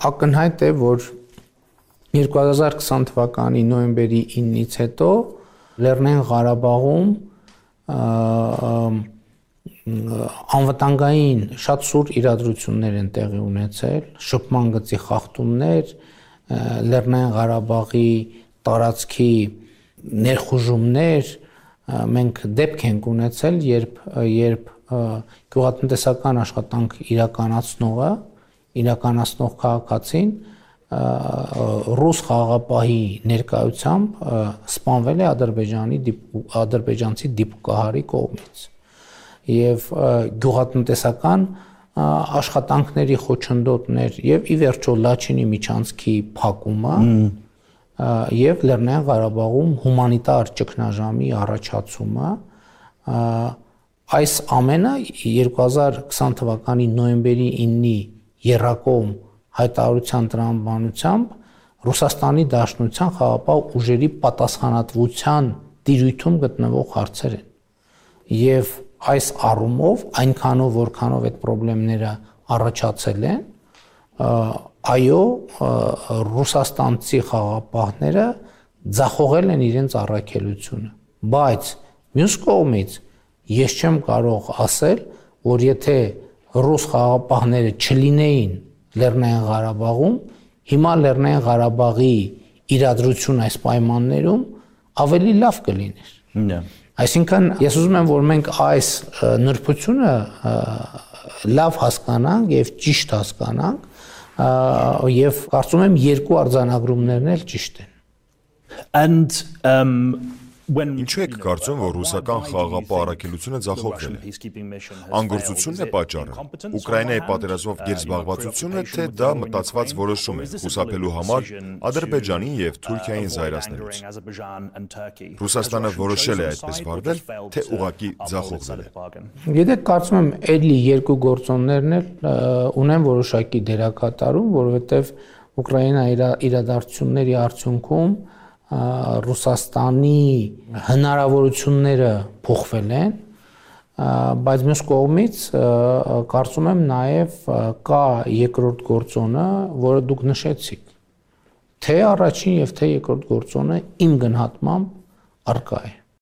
ակնհայտ է, որ 2020 թվականի նոյեմբերի 9-ից հետո Լեռնային Ղարաբաղում անվտանգային շատ սուր իրադրություններ են տեղի ունեցել, շփման գծի խախտումներ, Լեռնային Ղարաբաղի տարածքի ներխուժումներ, մենք դեպք ենք ունեցել, երբ գյուղատնտեսական աշխատանք իրականացնող քաղաքացին ռուս խաղաղապահի ներկայությամբ սպանվել է ադրբեջանցի դիպուկահարի կողմից եւ գյուղատնտեսական աշխատանքների խոչընդոտներ եւ ի վերջո Լաչինի միջանցքի փակումը եւ Լեռնային Ղարաբաղում հումանիտար ճգնաժամի առաջացումը այս ամենը 2020 թվականի նոյեմբերի 9-ի եռակողմ հայտարարության տրամաբանությամբ Ռուսաստանի Դաշնության խաղաղապահ ուժերի պատասխանատվության տիրույթում գտնվող հարցեր են եւ այս առումով այնքանով որքանով այդ խնդիրները առաջացել են այո ռուսաստանցի խաղաղապահները ձախողել են իրենց առաքելությունը բայց մյուս կողմից ես չեմ կարող ասել որ եթե ռուս խաղաղապահները չլինեին Լեռնային Ղարաբաղում հիմա Լեռնային Ղարաբաղի իրադրություն այս պայմաններում ավելի լավ կլիներ այսինքն ես ուզում եմ որ մենք այս նրբությունը լավ հասկանանք եւ ճիշտ հասկանանք եւ կարծում եմ երկու արձանագրումներն էլ ճիշտ են Ինչու եք կարծում, որ ռուսական խաղաղապահ առաքելությունը ձախողվել է։ Անգործությունն է պատճառը։ Ուկրաինայի պատերազմով գերզբաղվածությունը, թե դա մտածված որոշում է խուսափելու համար Ադրբեջանին եւ Թուրքիային զայրացնելուց։ Ռուսաստանը որոշել է այդպես վարվել, թե ուղղակի ձախողվել է։ Գիտեք, կարծում եմ, այլի երկու գործոններն էլ ունեն որոշակի դերակատարում, որովհետեւ Ուկրաինայի իրադարձությունների արդյունքում Ռուսաստանի հնարավորությունները փոխվել են, բայց մյուս կողմից կարծում եմ նաև կա երկրորդ գործոնը, որը դուք նշեցիք, թե առաջին եւ թե երկրորդ գործոնը իմ գնահատմամբ առկա է։